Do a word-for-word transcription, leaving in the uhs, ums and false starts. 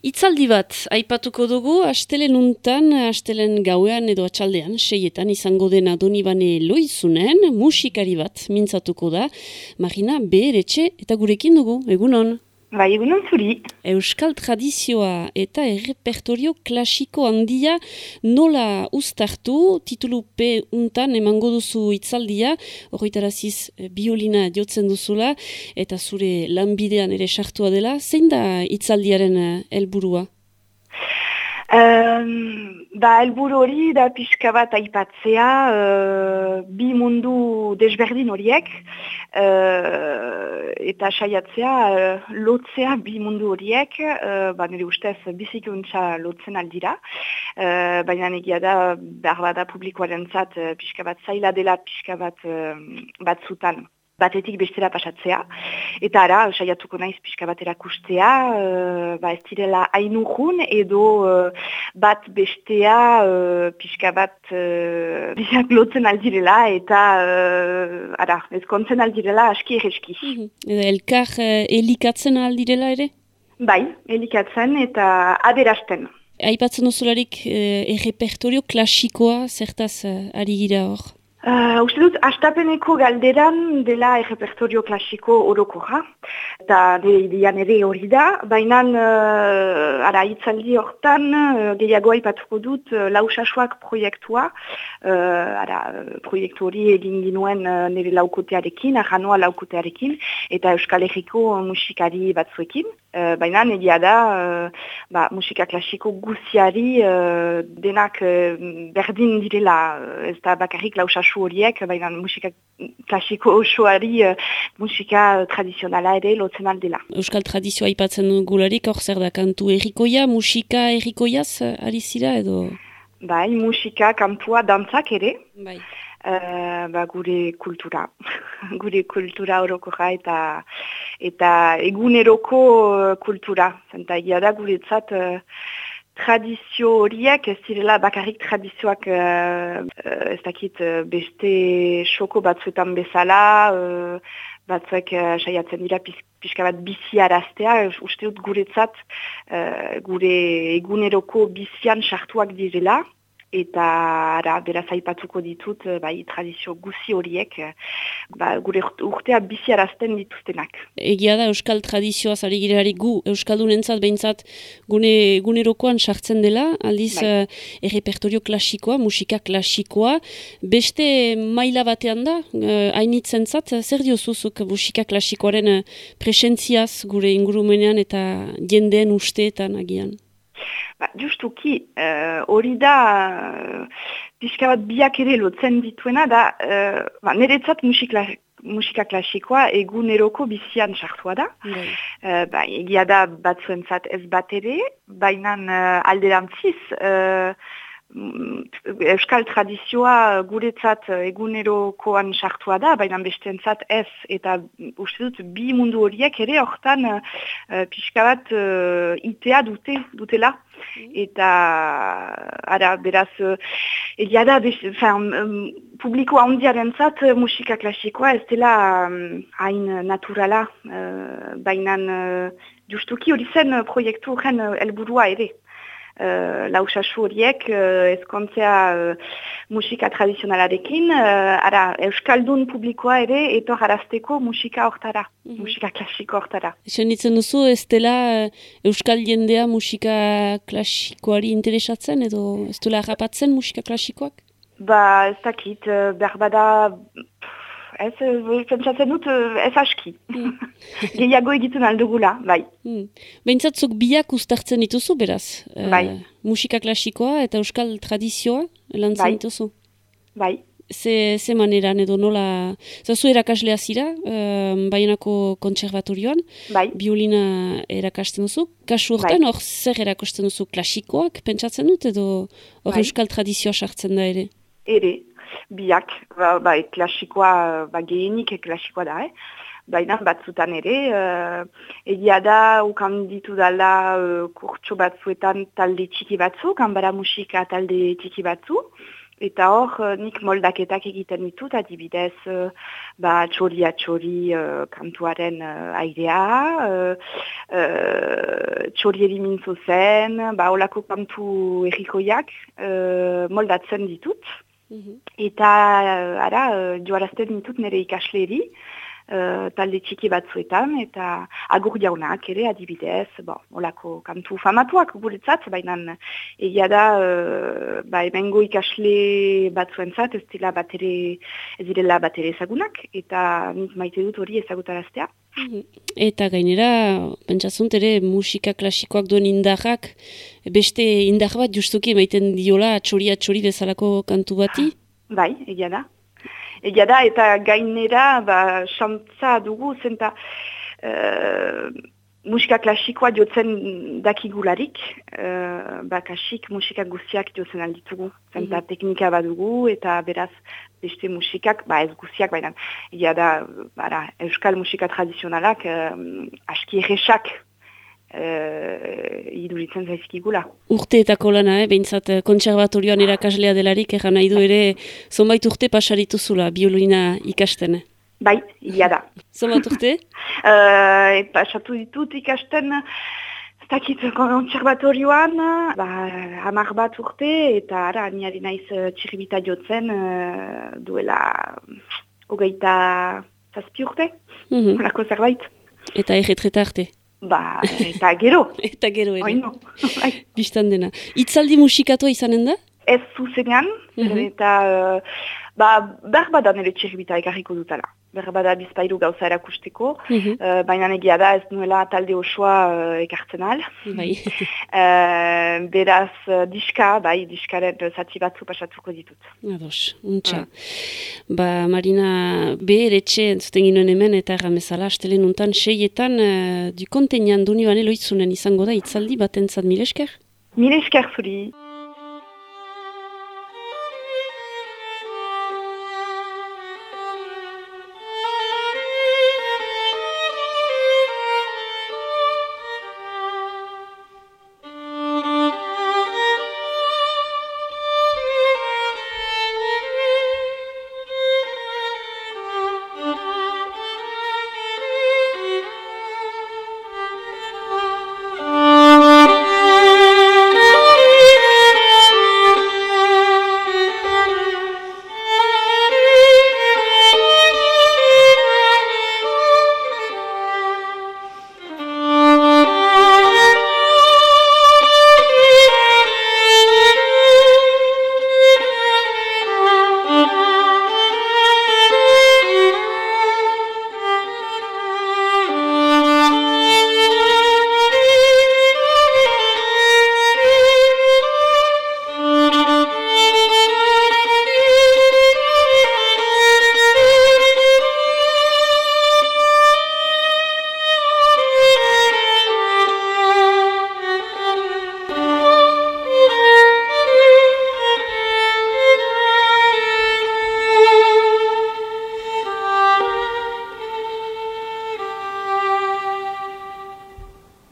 Itzaldi bat, aipatuko dugu, astelen untan, astelen gauean edo atxaldean, seietan izango dena Donibane Loizunen, musikari bat mintzatuko da, Marina Beheretxe eta gurekin dugu, egunon. Bai, egunon zuri. Euskal tradizioa eta errepertorio klasiko handia nola uztartu, titulupe untan emango duzu itzaldia, horretaraziz biolina jotzen duzula, eta zure lanbidean ere sartua dela, zein da itzaldiaren helburua? Um, ba, helburu hori da pixka bat aipatzea uh, bi mundu desberdin horiek uh, eta saiatzea uh, lotzea bi mundu horiek, uh, ba, nire ustez bizikuntza lotzen aldira, uh, baina egia da behar bada publikoaren zat uh, pixka bat zaila dela pixka bat uh, batzutan. Batetik bestera pasatzea, eta ara, saiatuko naiz pixka bat erakustea, uh, ba ez direla hainurrun edo uh, bat bestea uh, pixka bat uh, biak lotzen aldirela, eta uh, ara, ezkontzen aldirela aski erreski. Mm-hmm. Elkar uh, elikatzen aldirela ere? Bai, elikatzen eta aderasten. Aipatzen duzularik uh, errepertorio klasikoa, zertaz uh, ari gira hor? Uh, uste dut, astapeneko galderan dela errepertorio klasiko orokorra, eta nire idean ere hori da, baina uh, ara hitzaldi hortan uh, gehiago aipatuko dut uh, lausasuak proiektua, uh, ara proiektu hori egin ginuen uh, nire laukotearekin, arranoa laukotearekin, eta Euskal Herriko musikari batzuekin. Uh, baina egia da, uh, ba, musika klasiko guziari uh, denak uh, berdin direla, uh, ez da bakarrik lausasu horiek, baina musika klasiko osoari uh, musika tradizionala ere lotzen aldela. Euskal tradizioa aipatzen gularik, hor zer da kantu errikoia, musika errikoiaz ari zira edo? Bai, musika, kantua, dantzak ere. Bai. Uh, ba, gure kultura, gure kultura orokoa eta eta eguneroko kultura. Zenta egia da guretzat uh, tradizio horiek ez direla bakarrik tradizioak uh, ez dakit uh, beste xoko batzuetan bezala, uh, batzuek uh, saiatzen dira pis, pixka bat bizi araztea, uste dut guretzat uh, gure eguneroko bizian sartuak direla. Eta ara, beraz aipatuko ditut, bai, tradizio guzi horiek, ba, gure urtea biziarazten dituztenak. Egia da, Euskal tradizioa zari girelarik gu, Euskaldunentzat behintzat gune, gunerokoan sartzen dela, aldiz bai. uh, errepertorio klasikoa, musika klasikoa, beste maila batean da, uh, hainitzentzat, zer diozuzuk musika klasikoaren uh, presentziaz gure ingurumenean eta jendeen usteetan agian? Ba, justuki, hori uh, da, uh, pixka bat biak ere lotzen dituena da, uh, ba, niretzat musika, musika klasikoa eguneroko bizian sartua da. Mm. Uh, ba, egia da batzuentzat ez bat ere, baina uh, alderantziz, uh, Euskal tradizioa guretzat egunerokoan sartua da, baina besteentzat ez, eta uste dut bi mundu horiek ere hortan uh, pixka bat uh, itea dute, dutela. Eta ara, beraz, uh, egia da, um, publiko handiaren zat uh, musika klasikoa ez dela um, hain naturala, uh, baina uh, justuki hori zen uh, proiektu horren uh, helburua ere. Uh, lausasu horiek uh, ezkontzea uh, musika tradizionalarekin, uh, ara, Euskaldun publikoa ere etor arazteko musika hortara, mm-hmm. musika klasiko hortara. Esan ditzen duzu, ez dela Euskal jendea musika klasikoari interesatzen edo ez dela harrapatzen musika klasikoak? Ba, ez dakit, uh, berbada... Ez, pentsatzen dut, ez aski. Mm. Gehiago egiten aldugula, bai. Mm. Behintzat zuk biak uztartzen dituzu, beraz? Bai. Uh, musika klasikoa eta euskal tradizioa lantzen bai. dituzu? Bai. Ze, ze maneran edo nola... Zazu erakaslea zira, uh, Baionako kontserbatorioan, bai. Biolina erakasten duzu. Kasu hortan, hor bai. Zer erakasten duzu klasikoak, pentsatzen dut, edo hor bai. Euskal tradizioa sartzen da ere? Ere. Biak, ba, ba, klasikoa, ba, gehienik klasikoa da, eh? Baina batzutan ere, uh, egia da, ukan ditu dala uh, kurtso batzuetan talde txiki batzu, kanbara musika talde txiki batzu, Eta hor, uh, nik moldaketak egiten ditut, adibidez, uh, ba, txoria txori uh, kantuaren uh, airea, uh, uh, txorieri mintzo zen, ba, olako kantu errikoiak uh, moldatzen ditut. Mm-hmm. Eta, uh, ara, uh, joarazten ditut nire ikasleri, Uh, talde txiki batzuetan, eta agur jaunak ere adibidez, bon, olako kantu famatuak guretzat, baina egia da, uh, ba, emengo ikasle batzuentzat ez dira batere, ez direla batere ezagunak, eta nik maite dut hori ezagutaraztea. Eta gainera, pentsatzunt ere musika klasikoak duen indarrak, beste indar bat justuki emaiten diola txoria txori bezalako kantu bati? Bai, egia da. Egia da, eta gainera, ba, xantza dugu, zenta uh, musika klasikoa jotzen dakigularik, uh, ba, kasik musika guztiak jotzen alditugu, zenta mm-hmm. teknika badugu, eta beraz beste musikak, ba ez guztiak, baina egia da, bara, euskal musika tradizionalak uh, aski erresak, Uh, iduritzen zaizkigula. Urteetako lana, eh? Behintzat kontserbatorioan erakaslea delarik, egan nahi du ere, zonbait urte pasarituzula, biolina ikasten. Bai, ia da. Zonbait urte? uh, pasatu ditut ikasten, ez dakit kontserbatorioan, ba, hamar bat urte, eta ara, niari naiz txiribita jotzen, uh, duela hogeita zazpi urte, mm-hmm. Olako zerbait. Eta erretreta arte? Ba, eta gero. Eta gero ere. Oino. Bistan dena. Itzaldi musikatoa izanen da? Ez zuzenean, mm-hmm. eta uh, ba, berbadan ere txiribita ekarriko dutala. Berbada bizpairu gauza erakusteko, mm-hmm. uh, baina egia da ez nuela talde osoa uh, ekartzen al. Bai. uh, beraz, uh, diska, bai, diskaren zati batzu pasatuko ditut. Ados, untxa. Mm. Ba, Marina, behar etxe entzuten ginoen hemen, eta erramezala, astelen untan, seietan, uh, du kontenean duni bane loitzunen izango da, itzaldi bat entzat mil esker? Mil esker zuri.